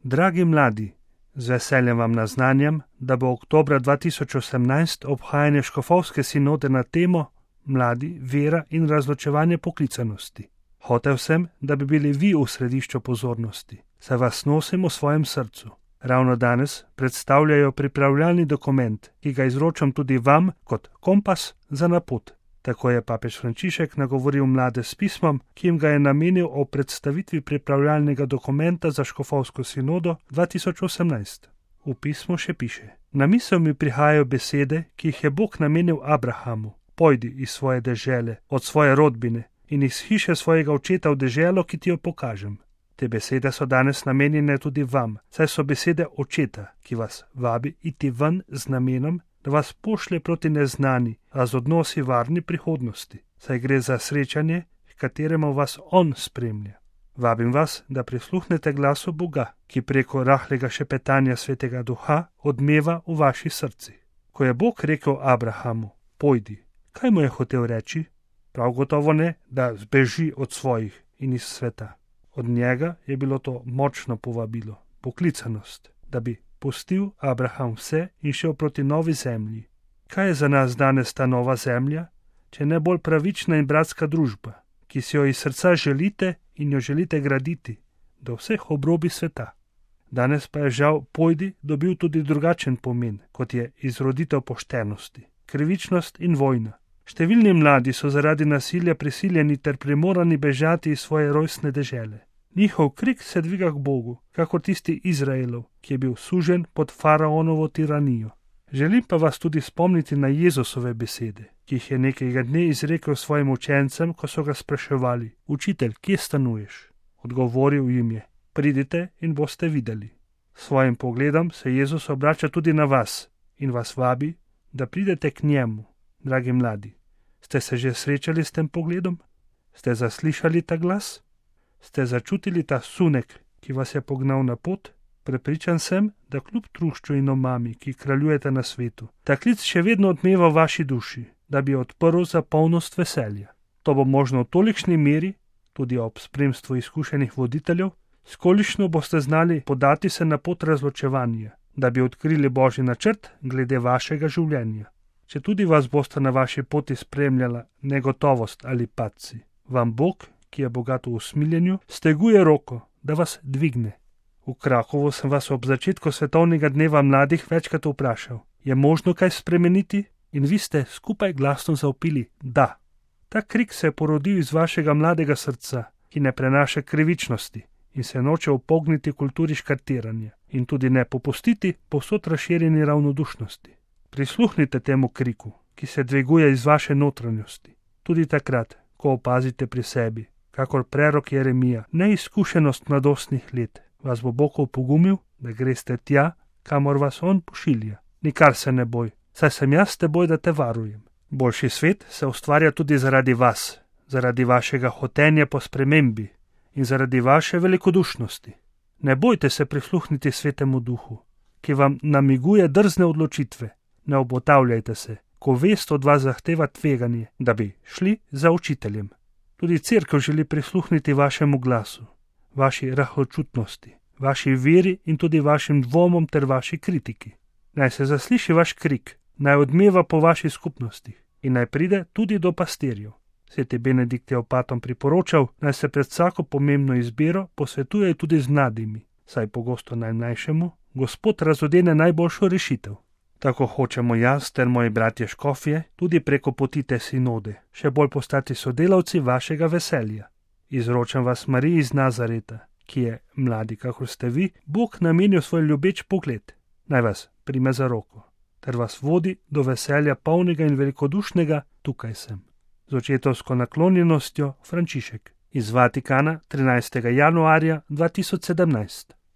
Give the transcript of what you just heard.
Dragi mladi, z veseljem vam naznanjam, da bo oktobra 2018 obhajanje škofovske sinode na temo Mladi, vera in razločevanje poklicanosti. Hotel sem, da bi bili vi v središču pozornosti, saj vas nosim v svojem srcu. Ravno danes predstavljajo pripravljalni dokument, ki ga izročam tudi vam kot kompas za na pot. Tako je papež Frančišek nagovoril mlade s pismom, ki jim ga je namenil o predstavitvi pripravljalnega dokumenta za škofovsko sinodo 2018. V pismu še piše: Na misel mi prihajajo besede, ki jih je Bog namenil Abrahamu. Pojdi iz svoje dežele, od svoje rodbine in iz hiše svojega očeta v deželo, ki ti jo pokažem. Te besede so danes namenjene tudi vam, saj so besede očeta, ki vas vabi iti ven z namenom, da vas pošlje proti neznani, a z odnosi varni prihodnosti, saj gre za srečanje, k kateremu vas on spremlja. Vabim vas, da prisluhnete glasu Boga, ki preko rahlega šepetanja Svetega Duha odmeva v vaši srci. Ko je Bog rekel Abrahamu, pojdi, kaj mu je hotel reči? Prav gotovo ne, da zbeži od svojih in iz sveta. Od njega je bilo to močno povabilo, poklicanost, da bi pustil Abraham vse in šel proti novi zemlji. Kaj je za nas danes ta nova zemlja, če ne bolj pravična in bratska družba, ki si jo iz srca želite in jo želite graditi do vseh obrobi sveta? Danes pa je žal pojdi dobil tudi drugačen pomen, kot je izroditev poštenosti, krivičnost in vojna. Številni mladi so zaradi nasilja prisiljeni ter primorani bežati iz svoje rojstne dežele. Njihov krik se dviga k Bogu, kakor tisti Izraelov, ki je bil sužen pod faraonovo tiranijo. Želim pa vas tudi spomniti na Jezusove besede, ki jih je nekega dne izrekel svojim učencem, ko so ga spraševali: Učitelj, kje stanuješ? Odgovoril jim je: Pridite in boste videli. S svojim pogledom se Jezus obrača tudi na vas in vas vabi, da pridete k njemu. Dragi mladi, ste se že srečali s tem pogledom? Ste zaslišali ta glas? Ste začutili ta sunek, ki vas je pognal na pot? Prepričan sem, da kljub trušču in omami, ki kraljujete na svetu, ta klic še vedno odmeva v vaši duši, da bi odprl za polnost veselja. To bo možno v tolikšni meri, tudi ob spremstvu izkušenih voditeljev, s kolikšno boste znali podati se na pot razločevanja, da bi odkrili Božji načrt glede vašega življenja. Če tudi vas boste na vaši poti spremljala negotovost ali padci, vam Bog, ki je bogat v usmiljenju, steguje roko, da vas dvigne. V Krakovu sem vas ob začetku svetovnega dneva mladih večkrat vprašal, je možno kaj spremeniti? In vi ste skupaj glasno zavpili da. Ta krik se je porodil iz vašega mladega srca, ki ne prenaša krivičnosti in se noče upogniti kulturi škartiranja in tudi ne popustiti povsod razširjeni ravnodušnosti. Prisluhnite temu kriku, ki se dviguje iz vaše notranjosti, tudi takrat, ko opazite pri sebi, kakor prerok Jeremija, neizkušenost mladostnih let, vas bo Bog opogumil, da greste tja, kamor vas on pošilja. Nikar se ne boj, saj sem jaz s teboj, da te varujem. Boljši svet se ustvarja tudi zaradi vas, zaradi vašega hotenja po spremembi in zaradi vaše velikodušnosti. Ne bojte se prisluhniti Svetemu Duhu, ki vam namiguje drzne odločitve. Ne obotavljajte se, ko vest od vas zahteva tveganje, da bi šli za učiteljem. Tudi cerkev želi prisluhniti vašemu glasu, vaši rahločutnosti, vaši veri in tudi vašim dvomom ter vaši kritiki. Naj se zasliši vaš krik, naj odmeva po vaši skupnosti in naj pride tudi do pastirjev. Sveti Benedikt je opatom priporočal, naj se pred vsako pomembno izbiro posvetuje tudi z mladimi, saj pogosto najmlajšemu Gospod razodene najboljšo rešitev. Tako hočemo jaz ter moji bratje škofje tudi preko poti te sinode še bolj postati sodelavci vašega veselja. Izročam vas Mariji iz Nazareta, ki je, mladi kakor ste vi, Bog namenil svoj ljubeč pogled. Naj vas prime za roko, ter vas vodi do veselja polnega in velikodušnega, tukaj sem. Z očetovsko naklonjenostjo Frančišek. Iz Vatikana 13. januarja 2017.